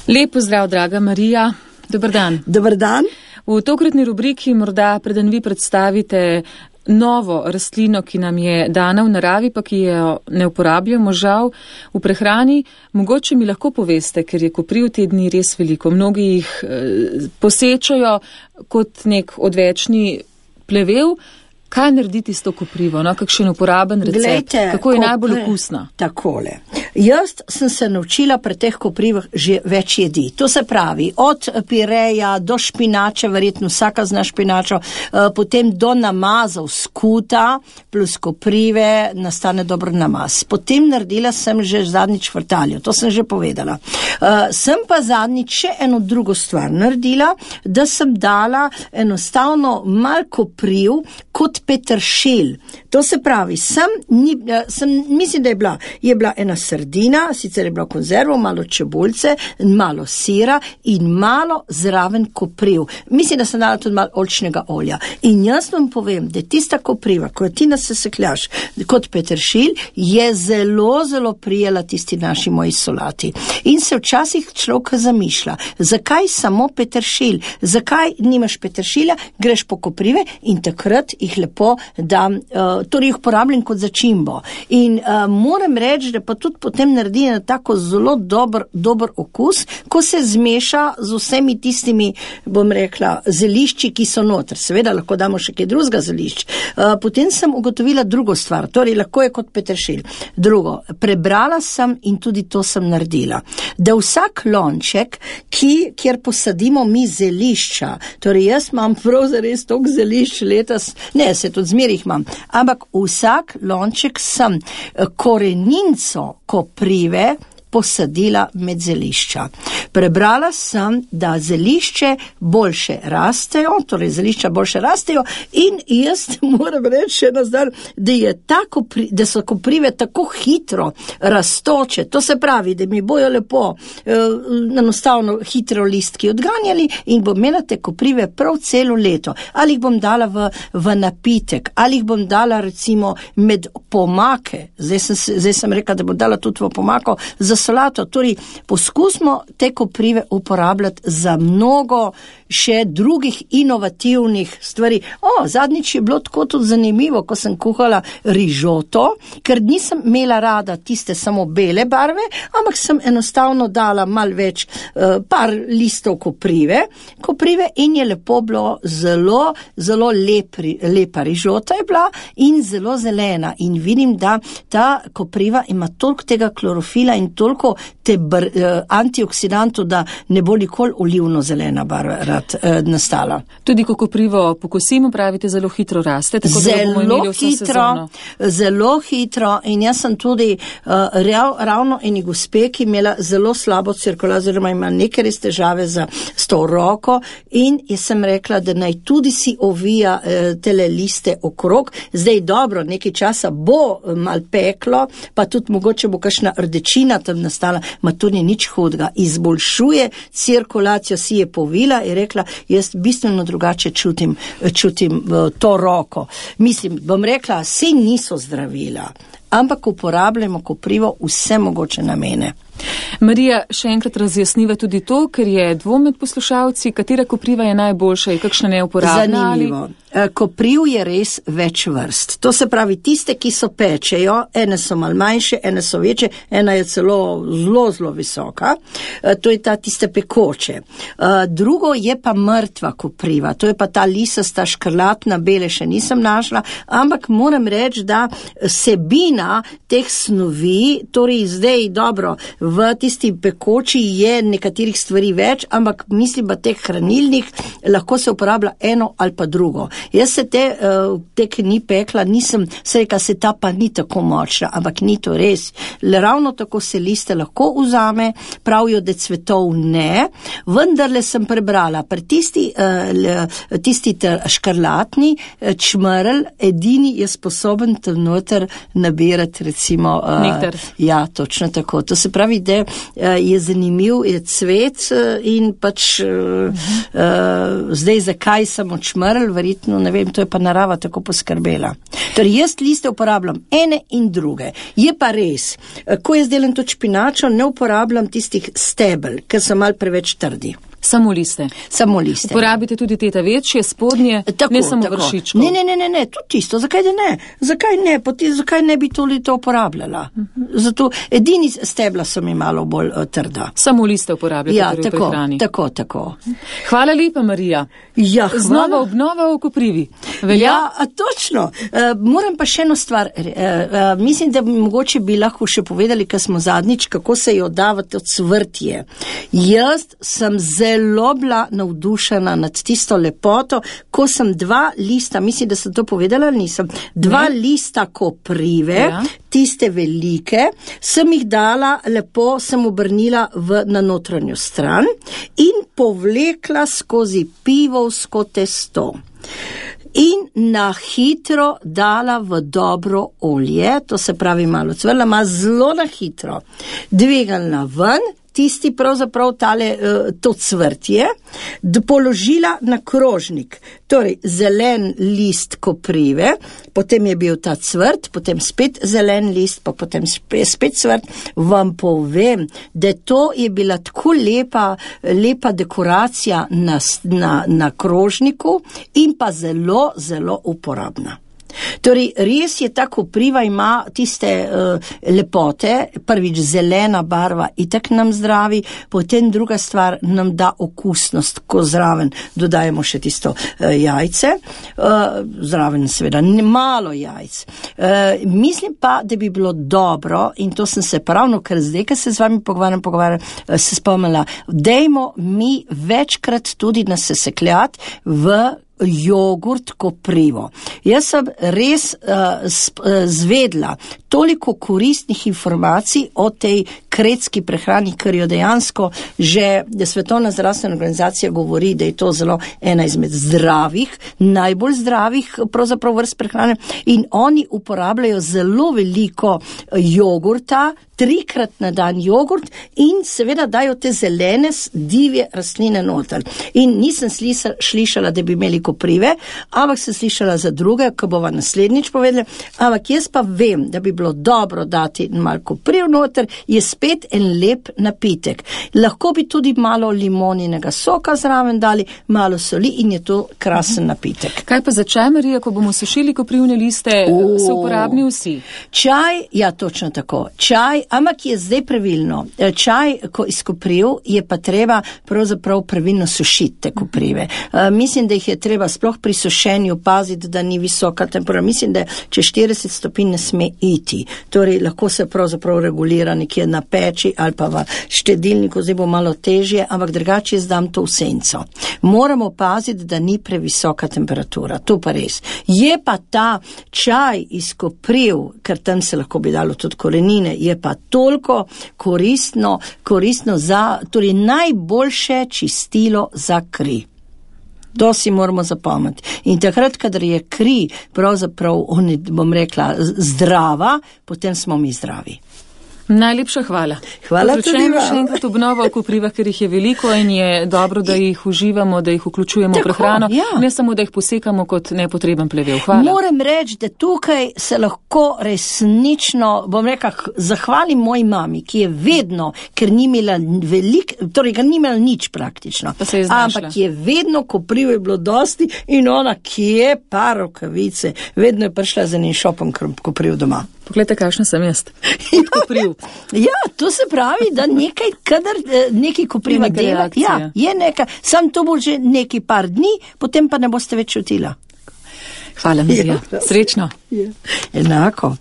Lep pozdrav, draga Marija. Dober dan. Dober dan. V tokratni rubriki morda preden vi predstavite novo rastlino, ki nam je dana v naravi, pa ki jo ne uporabljamo žal v prehrani. Mogoče mi lahko poveste, ker je kopriv te dni res veliko. Mnogi jih posečajo kot nek odvečni plevel. Kaj narediti s to koprivo? No, kakšen uporaben recept? Glejte, kako je najbolj okusna? Takole. Jaz sem se naučila pri teh koprivah že več jedi. To se pravi, od pireja do špinače, verjetno vsaka zna špinačo, potem do namazov skuta plus koprive nastane dober namaz. Potem naredila sem že zadnjič vrtaljo, to sem že povedala. Sem pa zadnjič še eno drugo stvar naredila, da sem dala enostavno mal kopriv kot peteršilj. To se pravi, mislim, da je bila ena sardina, sicer je bila konzervo, malo čebulce, malo sira in malo zraven kopriv. Mislim, da sem dala tudi malo oljčnega olja. In jaz vam povem, da tista kopriva, ko ti nasekljaš kot peteršilj, je zelo, zelo prijela tisti naši moji solati. In se včasih človek zamišlja, zakaj samo peteršilj? Zakaj nimaš peteršilja? Greš po koprive in takrat jih lepo dam, torej jih uporabljam kot začimbo. In moram reči, da pa tudi potem naredi na tako zelo dober okus, ko se zmeša z vsemi tistimi, bom rekla, zelišči, ki so noter. Seveda lahko damo še kaj drugega zelišč. Potem sem ugotovila drugo stvar, torej lahko je kot peteršilj. Drugo, prebrala sem in tudi to sem naredila, da vsak lonček, kjer posadimo mi zelišča, torej jaz imam prav zares toliko zelišč letos, ne, se tudi zmerih imam, ampak vsak lonček sem koreninco koprive posadila med zelišča. Prebrala sem, da zelišče boljše rastejo, torej zelišča boljše rastejo in jaz moram reči še nazdar, da so koprive tako hitro rastoče. To se pravi, da mi bojo lepo enostavno hitro listki odganjali in bom imela te koprive prav celo leto. Ali jih bom dala v napitek, ali jih bom dala recimo med pomake. Zdaj sem rekla, da bom dala tudi v pomako za solato. Torej, poskusimo te koprive uporabljati za mnogo še drugih inovativnih stvari. Zadnjič je bilo tako tudi zanimivo, ko sem kuhala rižoto, ker nisem imela rada tiste samo bele barve, ampak sem enostavno dala mal več, par listov koprive in je lepo bilo zelo, zelo lepa rižota je bila in zelo zelena. In vidim, da ta kopriva ima toliko tega klorofila in toliko te antioksidantov, da ne bo nikoli olivno zelena barva nastala. Tudi ko koprivo pokosimo, pravite, zelo hitro raste, tako da bomo imeli vso sezono. Zelo hitro in jaz sem tudi ravno eni gospe, ki imela zelo slabo cirkulacijo, oziroma ima neke res težave s to roko in jaz sem rekla, da naj tudi si ovija tele liste okrog. Zdaj dobro, nekaj časa bo mal peklo, pa tudi mogoče bo kakšna rdečina tam nastala, ma to ni nič hudega. Izboljšuje cirkulacijo, si je povila in rekla, jaz bistveno drugače čutim to roko. Mislim, bom rekla, saj niso zdravila, ampak uporabljamo koprivo vse mogoče namene. Marija, še enkrat razjasniva tudi to, ker je dvom med poslušalci, katera kopriva je najboljša in kakšna neuporabna. Zanimivo. Kopriv je res več vrst. To se pravi, tiste, ki so pečejo, ene so mal manjše, ene so večje, ena je celo zelo, zelo visoka. To je tiste pekoče. Drugo je pa mrtva kopriva. To je pa ta lisasta, škrlatna, bele še nisem našla, ampak moram reči, da sebina teh snovi, torej zdaj dobro, v tisti pekoči je nekaterih stvari več, ampak mislim, da teh hranilnih lahko se uporablja eno ali pa drugo. Jaz se te ki ni pekla, nisem se reka, se ta pa ni tako močna, ampak ni to res. Ravno tako se liste lahko vzame, pravijo, da cvetov ne, vendarle sem prebrala, pri tisti škrlatni čmrl, edini je sposoben tam noter nabiti ekstrairati recimo. Nektar. Ja, točno tako. To se pravi, da je zanimiv, je cvet in pač zdaj zakaj sem odšmrl, verjetno, ne vem, to je pa narava tako poskrbela. Torej, jaz liste uporabljam ene in druge. Je pa res, ko jaz delam to špinačo, ne uporabljam tistih stebel, ker so mal preveč trdi. Samo liste. Samo liste. Uporabite tudi teta večje, spodnje, tako, ne samo tako. vršičkov. Ne, tudi čisto. Zakaj da ne? Zakaj ne bi to uporabljala? Zato edini stebla so mi malo bolj trda. Samo liste uporabljate ja, v prehrani. Tako. Hvala lepa, Marija. Ja, hvala. Znova obnova v Koprivi. Velja? Ja, točno. Moram pa še eno stvar. Mislim, da mogoče bi lahko še povedali, ker smo zadnjič, kako se jo davati od cvrtje. Jaz sem zelo bila navdušena nad tisto lepoto, ko sem 2 lista, mislim, da sem to povedala, nisem, 2 lista koprive, tiste velike, sem jih dala, lepo sem obrnila na notranjo stran in povlekla skozi pivovsko testo. In na hitro dala v dobro olje, to se pravi malo cvrla, zelo na hitro, dvigalna ven, tisti pravzaprav to cvrtje, položila na krožnik, torej zelen list koprive, potem je bil ta cvrt, potem spet zelen list, pa potem spet cvrt. Vam povem, da to je bila tako lepa dekoracija na krožniku in pa zelo, zelo uporabna. Torej, res je ta kopriva ima tiste lepote, prvič zelena barva itak nam zdravi, potem druga stvar nam da okusnost, ko zraven dodajemo še tisto jajce, zraven seveda malo jajc. Mislim pa, da bi bilo dobro, in to sem se pravno, ker zdaj, ker se z vami pogovarjam, se spomnila, dajmo mi večkrat tudi nasesekljati v jogurt koprivo. Jaz sem res zvedla toliko koristnih informacij o tej kretski prehrani, ker jo dejansko že Svetovna zdravstvena organizacija govori, da je to zelo ena izmed najbolj zdravih pravzaprav vrst prehrane in oni uporabljajo zelo veliko jogurta, 3-krat na dan jogurt in seveda dajo te zelene divje rastline noter. In nisem slišala, da bi imeli koprive, ampak sem slišala za druge, ko bova naslednjič povedala, ampak jaz pa vem, da bi bilo dobro dati malo kopriv noter, je spet en lep napitek. Lahko bi tudi malo limoninega soka zraven dali, malo soli in je to krasen napitek. Kaj pa za čaj, Marija, ko bomo sušili koprivne liste, so uporabni vsi? Čaj, ja, točno tako. Čaj, ampak je zdaj pravilno. Čaj, ko iz kopriv, je pa treba pravzaprav pravilno sušiti te koprive. Mislim, da jih je treba sploh pri sušenju paziti, da ni visoka temperatura. Mislim, da če 40 stopinj ne sme iti. Torej, lahko se pravzaprav regulira nekje na peči ali pa v štedilniku, zdaj bo malo težje, ampak drugače zdam to v senco. Moramo paziti, da ni previsoka temperatura. To pa res. Je pa ta čaj iz kopriv, ker tam se lahko bi dalo tudi korenine, je pa toliko koristno za, torej najboljše čistilo za kri. To si moramo zapomniti. In takrat, kadar je kri pravzaprav, bom rekla, zdrava, potem smo mi zdravi. Najlepša hvala. Hvala tudi vam. Še enkrat obnova v koprivah, ker jih je veliko in je dobro, da jih uživamo, da jih vključujemo v prehrano. Ja. Ne samo, da jih posekamo kot nepotreben plevel. Hvala. Moram reči, da tukaj se lahko resnično, bom rekla, zahvalim moji mami, ki je vedno, ker ni imela ker ni imela nič praktično. Ampak je vedno, kopriv je bilo dosti in ona, ki je pa rokavice, vedno je prišla za njim šopom kopriv doma. Poglejte, kakšna sem jaz. Kopriv. Ja, to se pravi, da nekaj kopriva dela. Ja, je nekaj. Sam to bo že nekaj par dni, potem pa ne boste več čutila. Hvala, Marija. Srečno. Enako.